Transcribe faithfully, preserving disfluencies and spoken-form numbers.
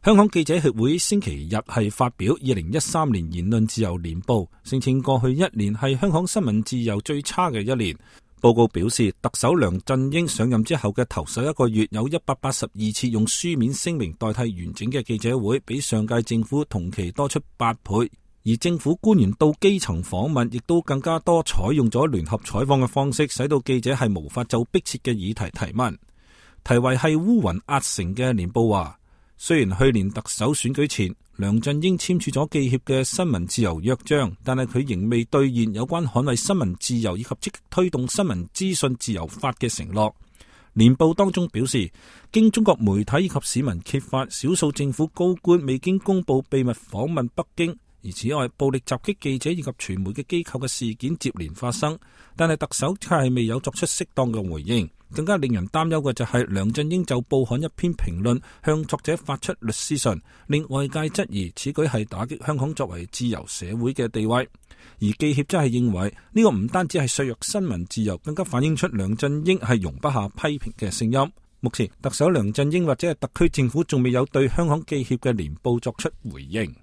香港記者協會星期日係發表二零一三年言論自由年報，聲稱過去一年係香港新聞自由最差嘅一年。報告表示，特首梁振英上任之後嘅頭十一個月有一百八十二次用書面聲明代替完整嘅記者會，比上屆政府同期多出八倍。而政府官員到基層訪問亦都更加多，採用咗聯合採訪嘅方式，使到記者係無法就迫切嘅議題提問。題為係烏雲壓城嘅年報話，雖然去年特首選舉前梁振英簽署咗記協嘅新聞自由約章，但係佢仍未兌現有關捍衛新聞自由以及積極推動新聞資訊自由法嘅承諾。年報當中表示，經中國媒體以及市民揭發，少數政府高官未經公佈秘密訪問北京。而此外，暴力襲擊記者以及傳媒嘅機構嘅事件接連發生，但係特首卻係未有作出適當嘅回應。更加令人擔憂嘅就係梁振英就報刊一篇評論向作者發出律師信，令外界質疑此舉係打擊香港作為自由社會嘅地位。而記協則係認為呢個唔單止係削弱新聞自由，更加反映出梁振英係容不下批評嘅聲音。目前特首梁振英或者係特區政府仲未有對香港記協嘅年報作出回應。